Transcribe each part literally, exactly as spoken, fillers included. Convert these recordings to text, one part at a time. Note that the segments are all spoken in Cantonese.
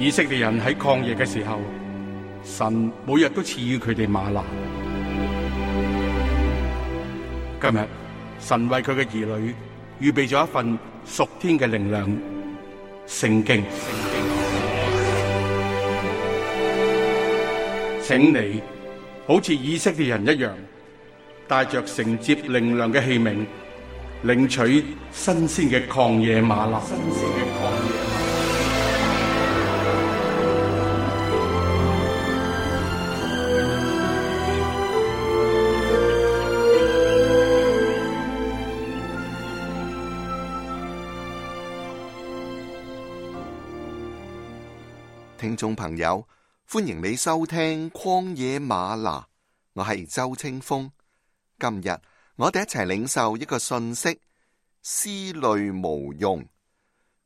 以色列人喺曠野嘅時候，神每日都賜予佢哋嗎哪。今日神為佢嘅兒女預備咗一份屬天嘅靈糧——聖經。請你好似以色列人一樣，帶着承接靈糧嘅器皿，領取新鮮嘅曠野嗎哪。新鮮嘅曠野嗎哪。聽眾朋友，歡迎你收聽曠野嗎哪，我係周清風。今日我哋一齊領受一個訊息：思慮無用。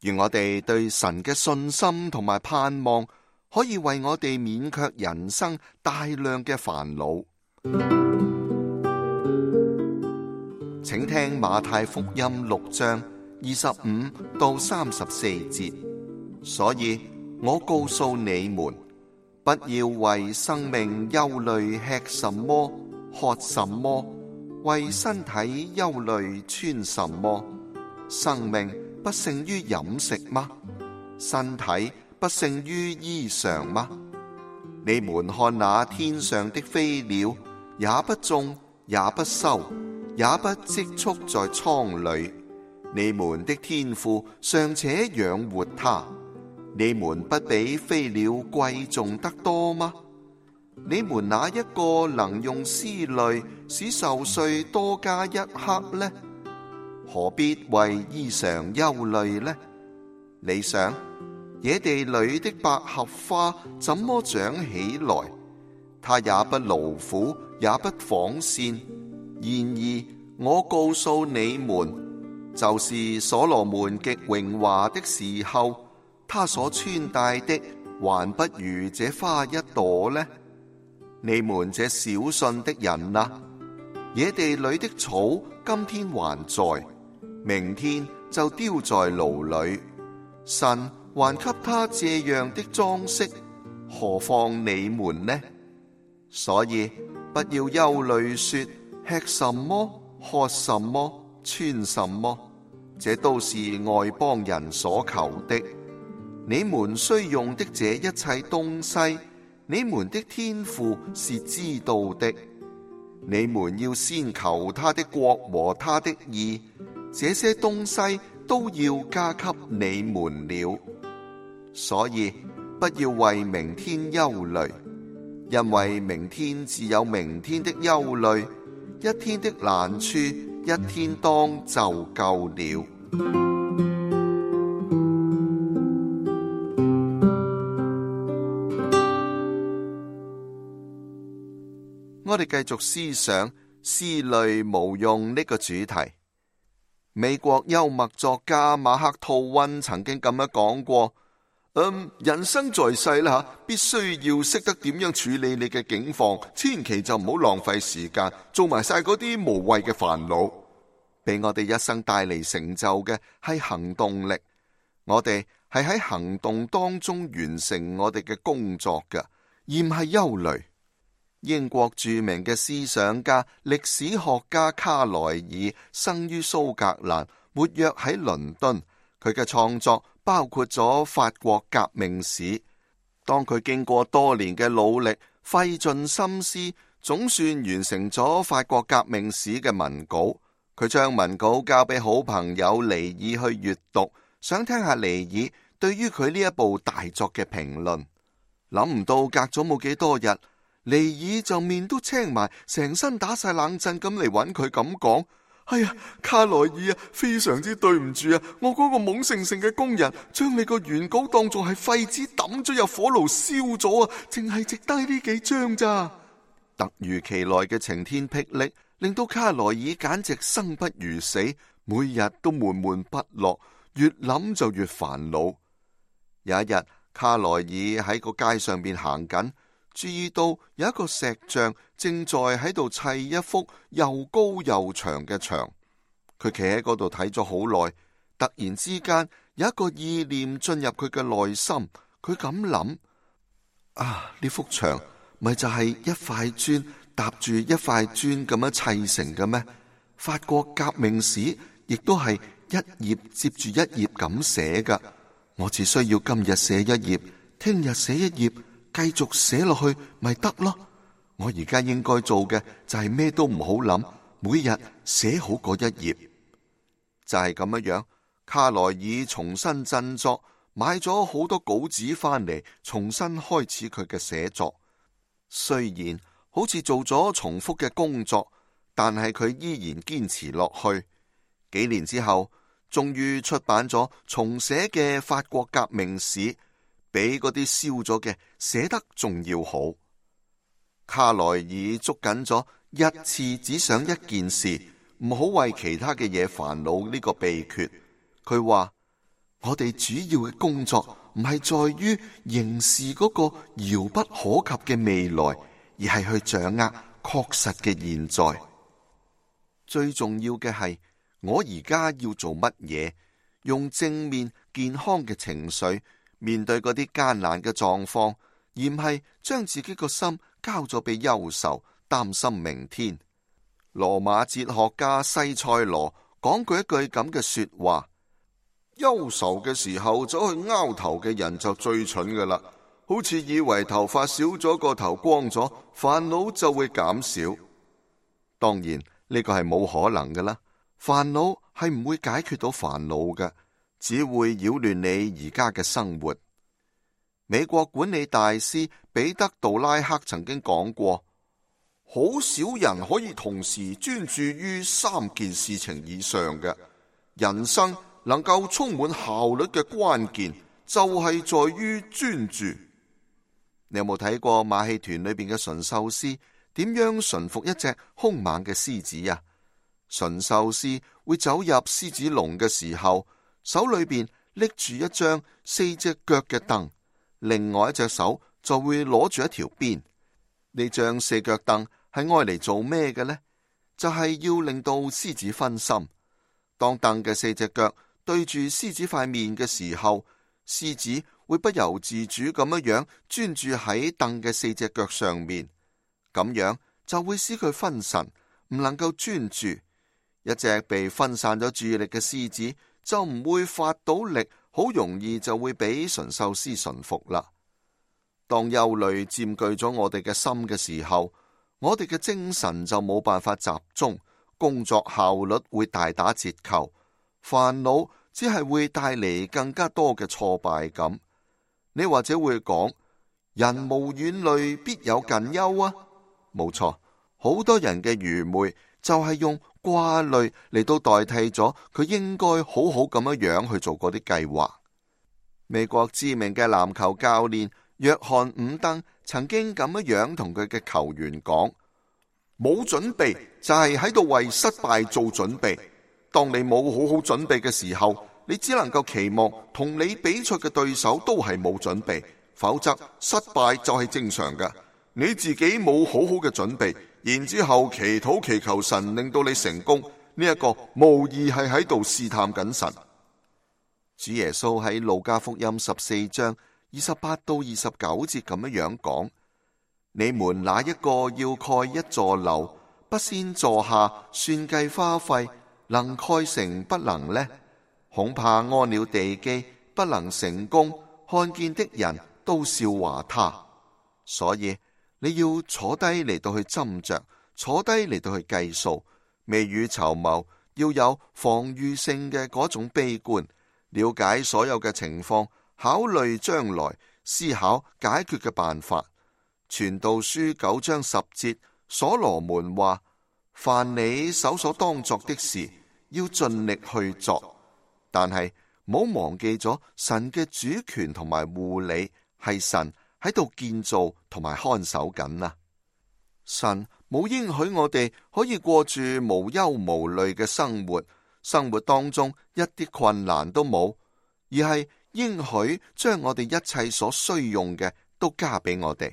願我哋對神嘅信心同埋盼望，可以為我哋免卻人生大量嘅煩惱。請聽馬太福音六章二十五到三十四節。所以我告訴你們，不要為生命憂慮，吃什麼，喝什麼；為身體憂慮，穿什麼。生命不勝於飲食嗎？身體不勝於衣裳嗎？你們看那天上的飛鳥，也不種，也不收，也不積蓄在倉裏，你們的天父尚且養活它，你們不比飛鳥貴重得多嗎？你們哪一個能用思慮使壽歲多加一刻呢？何必為衣裳憂慮呢？你想，野地裏的百合花怎麼長起來？它也不勞苦，也不紡線。然而我告訴你們，就是所羅門極榮華的時候，他所穿戴的還不如這花一朵呢。你們這小信的人啊，野地裏的草今天還在，明天就丟在爐裏，神還給他這樣的裝飾，何況你們呢？所以不要憂慮說，吃什麼，喝什麼，穿什麼，這都是外邦人所求的。你們需用的這一切東西，你們的天父是知道的。你們要先求他的國和他的義，這些東西都要加給你們了。所以不要為明天憂慮，因為明天自有明天的憂慮，一天的難處一天當就夠了。我哋繼續思想思慮無用呢個主題。美國幽默作家馬克吐溫曾經咁樣講過：嗯，人生在世啦，必須要識得點樣處理你嘅境況，千祈就唔好浪費時間，做埋晒嗰啲無謂嘅煩惱。俾我哋一生帶嚟成就嘅係行動力，我哋係喺行動當中完成我哋嘅工作嘅，而唔係憂慮。英國著名嘅思想家、歷史學家卡萊爾生於蘇格蘭，活躍喺倫敦。佢嘅創作包括咗法國革命史。當佢經過多年嘅努力，費盡心思，總算完成咗法國革命史嘅文稿。佢將文稿交俾好朋友尼爾去閱讀，想聽下尼爾對於佢呢一部大作嘅評論。諗唔到隔咗冇幾多日，尼爾就面都青埋，成身打晒冷震咁嚟揾佢咁講：哎呀，卡萊爾啊，非常之對唔住啊！我嗰個懵盛盛嘅工人，將你個原稿當作係廢紙抌咗入火爐燒咗啊！淨係值低呢幾張咋？突如其來嘅晴天霹靂，令到卡萊爾簡直生不如死，每日都悶悶不樂，越諗就越煩惱。有一日，卡萊爾喺個街上邊行緊，注意到有一個石像正在喺度砌一幅又高又長嘅牆。佢企喺嗰度睇咗好耐，突然之間有一個意念進入佢嘅內心，佢咁諗：啊，呢幅牆咪就係一塊磚搭住一塊磚咁樣砌成嘅咩？法國革命史亦都係一頁接住一頁咁寫噶。我只需要今日寫一頁，聽日寫一頁，繼續寫落去咪得咯。我而家應該做嘅就係咩都唔好諗，每日寫好嗰一頁。就係咁樣，卡萊爾重新振作，買咗好多稿紙翻嚟，重新開始佢嘅寫作。雖然好似做咗重複嘅工作，但係佢依然堅持落去。幾年之後，終於出版咗重寫嘅法國革命史，比嗰啲燒咗嘅寫得仲要好。卡萊爾捉緊咗一次只想一件事，唔好為其他嘅嘢煩惱呢個秘訣。佢話：我哋主要嘅工作唔係在於凝視嗰個遙不可及嘅未來，而係去掌握確實嘅現在。最重要嘅係，我而家要做乜嘢？用正面健康嘅情緒面對嗰啲艱難嘅狀況，而唔係將自己個心交咗俾憂愁，擔心明天。羅馬哲學家西塞羅講過一句咁嘅說話：憂愁嘅時候走去拗頭嘅人就最蠢噶啦，好似以為頭髮少咗個頭光咗，煩惱就會減少。當然呢個係冇可能噶啦，煩惱係唔會解決到煩惱嘅，只會擾亂你而家嘅生活。美國管理大師彼得杜拉克曾經講過：好少人可以同時專注於三件事情以上嘅。人生能夠充滿效率嘅關鍵就係在於專注。你有冇睇過馬戲團裏邊嘅馴獸師點樣馴服一隻兇猛嘅獅子啊？馴獸師會走入獅子籠嘅時候，手裏邊拎住一張四隻腳嘅凳，另外一隻手就會攞住一條鞭。呢張四腳凳係愛嚟做咩嘅呢？就係要令到獅子分心。當凳嘅四隻腳對住獅子塊面嘅時候，獅子會不由自主咁樣樣專注喺凳嘅四隻腳上面，咁樣就會使佢分神，唔能夠專注。一隻被分散咗注意力嘅獅子就唔會發到力，好容易就會俾馴獸師馴服啦。當憂慮佔據咗我哋嘅心嘅時候，我哋嘅精神就冇辦法集中，工作效率會大打折扣，煩惱只係會帶嚟更加多嘅挫敗感。你或者會講：人無遠慮，必有近憂啊！冇錯，好多人嘅愚昧就係用掛慮嚟到代替咗佢應該好好咁樣樣去做嗰啲計劃。美國知名嘅籃球教練約翰伍登曾經咁樣樣同佢嘅球員講：冇準備就係喺度為失敗做準備。當你冇好好準備嘅時候，你只能夠期望同你比賽嘅對手都係冇準備，否則失敗就係正常嘅。你自己冇好好嘅準備，然之後祈禱祈求神令到你成功，呢一個無疑係喺度試探緊神。主耶穌喺路加福音十四章二十八到二十九節咁樣樣講：你們哪一個要蓋一座樓，不先坐下算計花費，能蓋成不能呢？恐怕安了地基，不能成功，看見的人都笑話他。所以你要坐低嚟到去斟酌，坐低嚟到去計數，未雨綢繆，要有防禦性嘅嗰種悲觀，了解所有嘅情況，考慮將來，思考解決嘅辦法。傳道書九章十節，所羅門話：凡你手所當作的事，要盡力去做。但係唔好忘記咗神嘅主權同埋護理，係神喺度建造同埋看守緊啊！神冇應許我哋可以過住無憂無慮嘅生活，生活當中一啲困難都冇，而係應許將我哋一切所需用嘅都加俾我哋。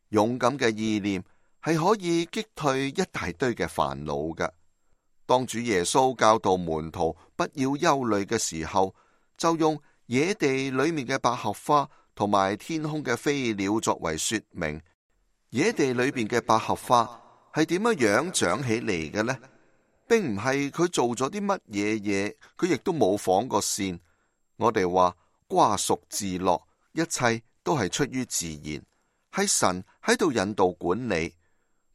勇敢嘅意念係可以擊退一大堆嘅煩惱嘅。當主耶穌教導門徒不要憂慮嘅時候，就用野地裏面嘅百合花同埋天空嘅飛鳥作為說明，野地裏邊嘅百合花係點樣樣長起嚟嘅呢？並唔係佢做咗啲乜嘢嘢，佢亦都冇紡過線。我哋話瓜熟自落，一切都係出於自然，係神喺度引導管理。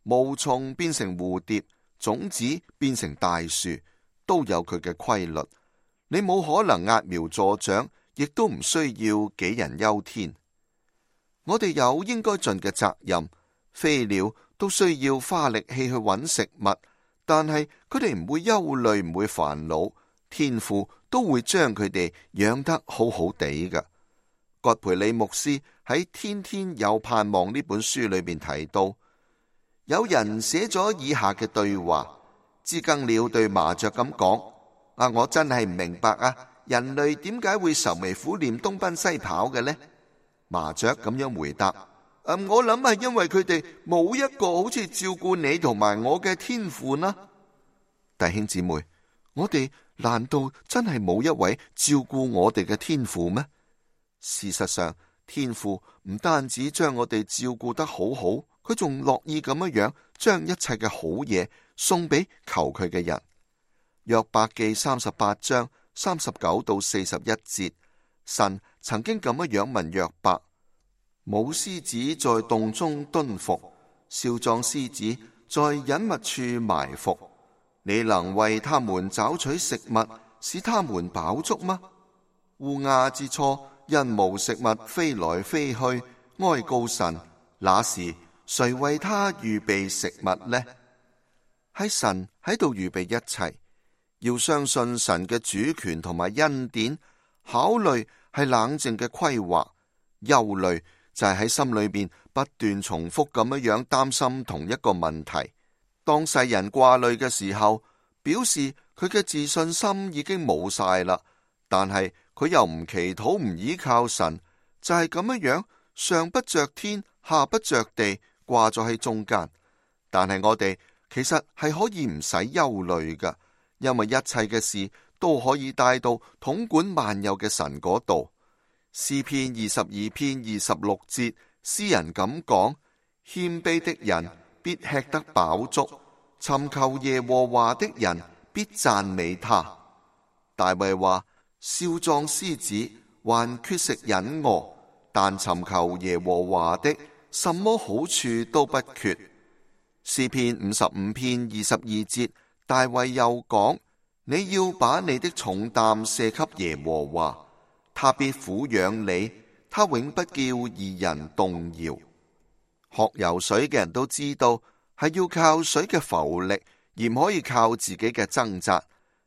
毛蟲變成蝴蝶，種子變成大樹，都有佢嘅規律。你冇可能揠苗助長，亦都唔需要杞人憂天。我哋有應該盡嘅責任。飛鳥都需要花力氣去揾食物，但係佢哋唔會憂慮，唔會煩惱，天父都會將佢哋養得好好地㗎。葛培理牧師喺《天天有盼望》呢本書裏邊提到，有人寫咗以下嘅對話：知更鳥對麻雀咁講，啊，我真係唔明白啊，人類點解會愁眉苦臉東奔西跑嘅呢？麻雀咁樣回答：嗯、我諗係因為佢哋冇一個好似照顧你同埋我嘅天父呢。弟兄姊妹，我哋難道真係冇一位照顧我哋嘅天父咩？事實上，天父唔單止將我哋照顧得好好，佢仲樂意咁樣樣將一切嘅好嘢送俾求佢嘅人。約伯記三十八章三十九到四十一節，神曾經咁樣樣問約伯：母獅子在洞中蹲伏，少壯獅子在隱密處埋伏，你能為他們找取食物，使他們飽足嗎？烏鴉之初因無食物飛來飛去，哀告神，那時誰為他預備食物呢？係神喺度預備一切，要相信神嘅主權同埋恩典。考慮係冷靜嘅規劃，憂慮就係喺心裏邊不斷重複咁樣樣擔心同一個問題。當世人掛慮嘅時候，表示佢嘅自信心已經冇晒啦，但係佢又唔祈禱唔依靠神，就係咁樣樣，上不着天下不着地，掛咗喺中間。但係我哋其實係可以唔使憂慮㗎，因為一切嘅事都可以帶到統管萬有嘅神嗰度。詩篇二十二篇二十六節，詩人咁講：謙卑的人必吃得飽足，尋求耶和華的人必讚美他。大衛話：少壯獅子還缺食忍餓，但尋求耶和華的，什麼好處都不缺。詩篇五十五篇二十二節，大衛又講：你要把你的重擔卸給耶和華，他必撫養你，他永不叫義人動搖。學游水嘅人都知道，係要靠水嘅浮力，而唔可以靠自己嘅掙扎。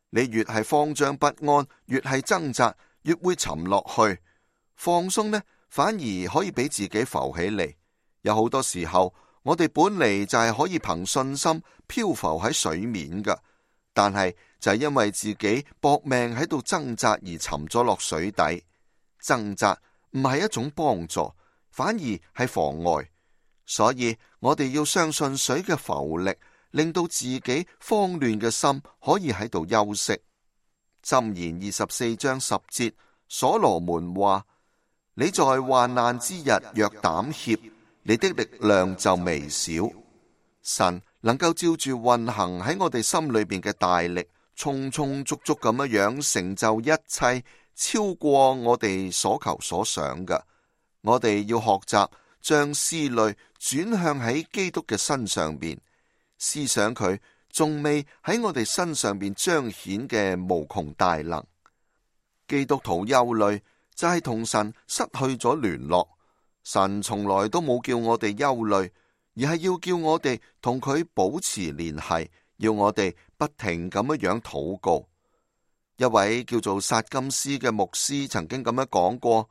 你越係慌張不安，越係掙扎，越會沉落去。放鬆呢，反而可以俾自己浮起嚟。有好多時候，我哋本嚟就係可以憑信心漂浮喺水面㗎，但係就係因為自己搏命喺度掙扎而沉咗落水底。掙扎唔係一種幫助，反而係妨礙。所以我哋要相信水嘅浮力，令到自己慌亂嘅心可以喺度休息。箴言二十四章十節，所羅門話：你在患難之日若膽怯，你的力量就微小。神能夠照住運行喺我哋心裏邊嘅大力，充充足足咁樣樣成就一切，超過我哋所求所想嘅。我哋要學習將思慮轉向喺基督嘅身上邊，思想佢仲未喺我哋身上邊彰顯嘅無窮大能。基督徒憂慮就係同神失去咗聯絡。神從來都冇叫我哋憂慮，而係要叫我哋同佢保持聯繫，要我哋不停咁樣樣禱告。一位叫做薩金斯嘅牧師曾經咁樣講過：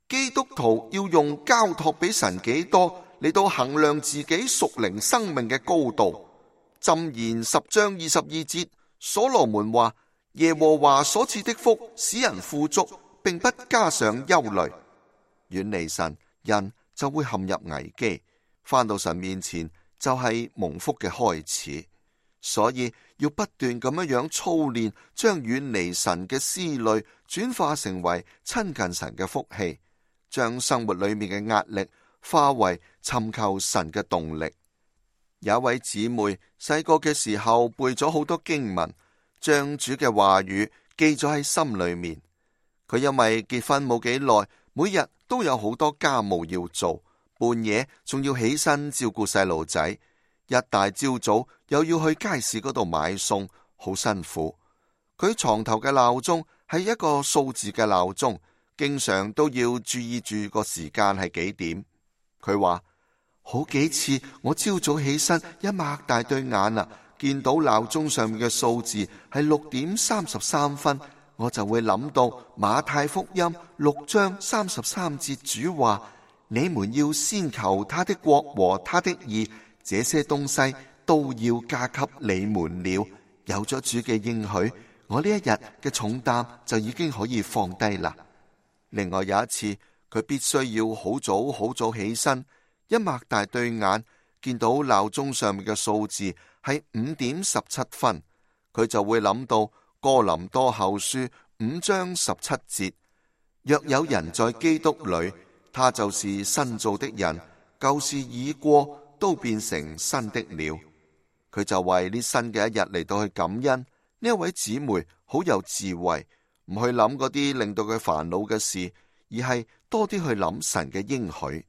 基督徒要用交託俾神幾多嚟到衡量自己屬靈生命嘅高度。箴言十章二十二節，所羅門話：耶和華所賜的福使人富足，並不加上憂慮。遠離神，人就會陷入危機，返到神面前就係蒙福嘅開始。所以要不斷咁樣樣操練，將遠離神嘅思慮轉化成為親近神嘅福氣。將生活裏面嘅壓力化為尋求神嘅動力。有一位姊妹細個嘅時候背咗好多經文，將主嘅話語記咗喺心裏面。佢因為結婚冇幾耐，每日都有好多家務要做，半夜仲要起身照顧細路仔，一大朝早又要去街市嗰度買餸，好辛苦。佢床頭嘅鬧鐘係一個數字嘅鬧鐘，經常都要注意住個時間係幾點。佢話好幾次我朝早起身一擘大對眼啊，見到鬧鐘上面嘅數字係六點三十三分，我就會諗到馬太福音六章三十三節，主話：你們要先求他的國和他的義，這些東西都要加給你們了。有咗主嘅應許，我呢一日嘅重擔就已經可以放低啦。另外有一次，佢必須要好早好早起身，一擘大對眼，見到鬧鐘上面嘅數字係五點十七分，佢就會諗到哥林多後書五章十七節：若有人在基督裏，他就是新造的人，舊事已過，都變成新的了。佢就為呢新嘅一日嚟到去感恩。呢一位姊妹好有智慧，唔去諗嗰啲令到佢煩惱嘅事，而係多啲去諗神嘅應許。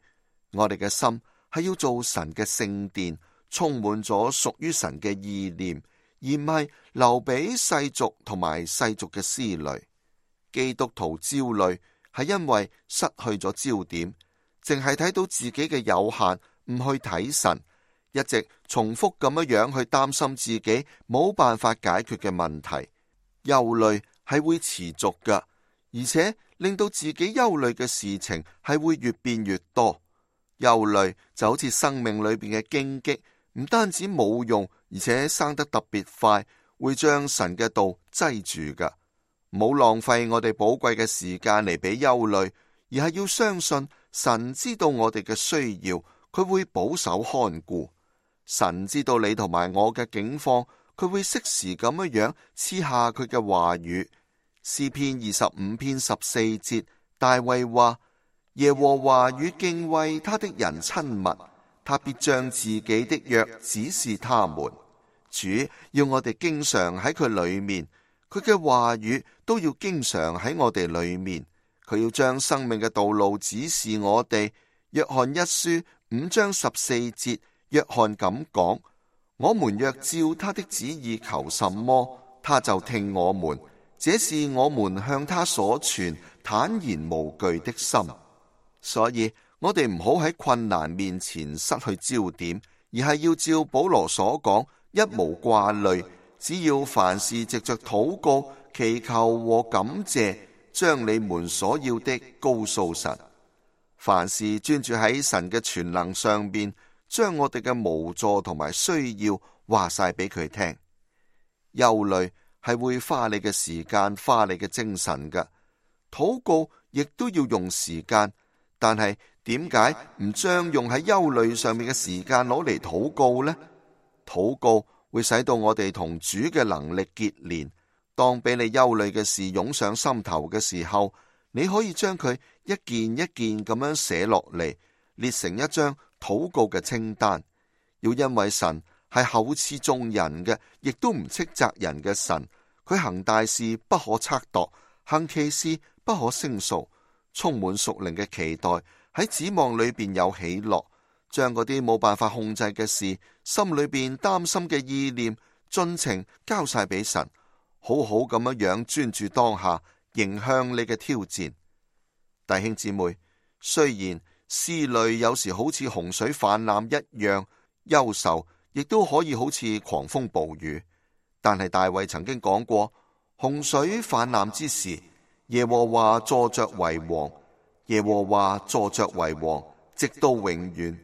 我哋嘅心係要做神嘅聖殿，充滿咗屬於神嘅意念，而唔係留俾世俗同埋世俗嘅思慮。基督徒焦慮係因為失去咗焦點，淨係睇到自己嘅有限，唔去睇神，一直重複咁樣樣去擔心自己冇辦法解決嘅問題。憂慮係會持續噶，而且令到自己憂慮嘅事情係會越變越多。憂慮就好似生命裏邊嘅荊棘，唔單止冇用，而且生得特別快，會將神嘅道擠住噶。唔好浪費我哋寶貴嘅時間嚟俾憂慮，而係要相信神知道我哋嘅需要，佢會保守看顧。神知道你同埋我嘅境況，佢會適時咁樣樣賜下佢嘅話語。詩篇二十五篇十四節，大衛話：耶和華與敬畏他的人親密，他必將自己的約指示他們。主要我哋經常喺佢裏面，佢嘅話語都要經常喺我哋裏面。佢要將生命嘅道路指示我哋。約翰一書五章十四節，約翰咁講：我們若照他的旨意求什麼，他就聽我們。這是我們向他所存坦然無懼的心。所以我哋唔好喺困難面前失去焦點，而係要照保羅所講，一無掛慮，只要凡事藉着禱告、祈求和感謝，將你們所要的告訴神。凡事專注喺神嘅全能上邊，將我哋嘅無助同埋需要話晒俾佢聽。憂慮係會花你嘅時間，花你嘅精神㗎。禱告亦都要用時間，但係點解唔將用喺憂慮上面嘅時間攞嚟禱告呢？禱告會使到我哋同主嘅能力結連。當俾你憂慮嘅事湧上心頭嘅時候，你可以將佢一件一件咁樣寫落嚟，列成一張禱告嘅清單。要因為神係厚賜眾人嘅，亦都唔斥責人嘅神。佢行大事不可測度，行奇事不可勝數，充滿屬靈嘅期待，喺指望裏邊有喜樂，將嗰啲冇辦法控制嘅事，心裏邊擔心嘅意念，盡情交晒俾神，好好咁樣樣專注當下，迎向你嘅挑戰。弟兄姊妹，雖然思慮有時好似洪水泛濫一樣，憂愁亦都可以好似狂風暴雨，但係大衛曾經講過，洪水泛濫之時，耶和華坐着為王，耶和華坐着為王，直到永遠。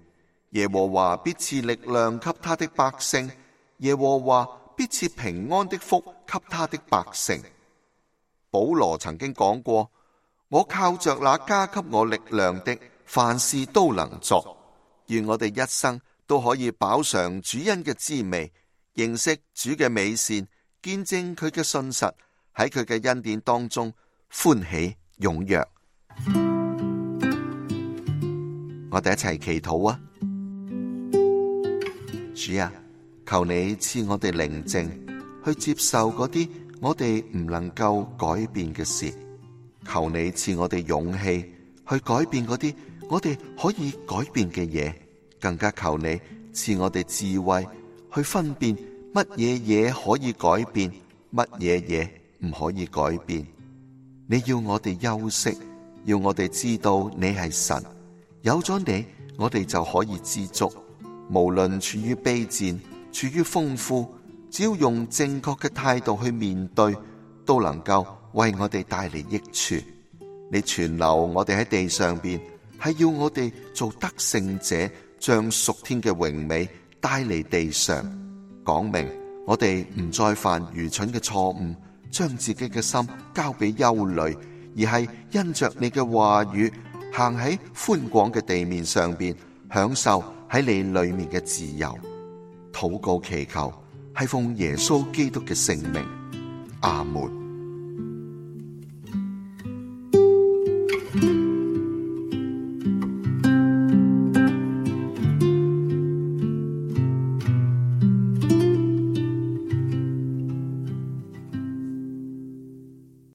耶和華必賜力量給他的百姓，耶和華必賜平安的福給他的百姓。保羅曾經講過，我靠着那加給我力量的，凡事都能作。願我哋一生都可以飽嘗主恩嘅滋味，認識主嘅美善，見證佢嘅信實，喺佢嘅恩典當中歡喜踴躍。我哋一齊祈禱啊！主啊，求你賜我哋寧靜去接受嗰啲我哋唔能夠改變嘅事，求你賜我哋勇氣去改變嗰啲我哋可以改變嘅嘢，更加求你賜我哋智慧去分辨乜嘢嘢可以改變，乜嘢嘢唔可以改變。你要我哋休息，要我哋知道你係神，有咗你，我哋就可以知足。無論處於卑賤，處於豐富，只要用正確嘅態度去面對，都能夠為我哋帶嚟益處。你存留我哋喺地上邊，係要我哋做得勝者，將屬天嘅榮美帶嚟地上，講明我哋唔再犯愚蠢嘅錯誤，將自己嘅心交俾憂慮，而係因着你嘅話語，行喺寬廣嘅地面上邊，享受喺你裏面嘅自由。禱告祈求係奉耶穌基督嘅聖名，阿門。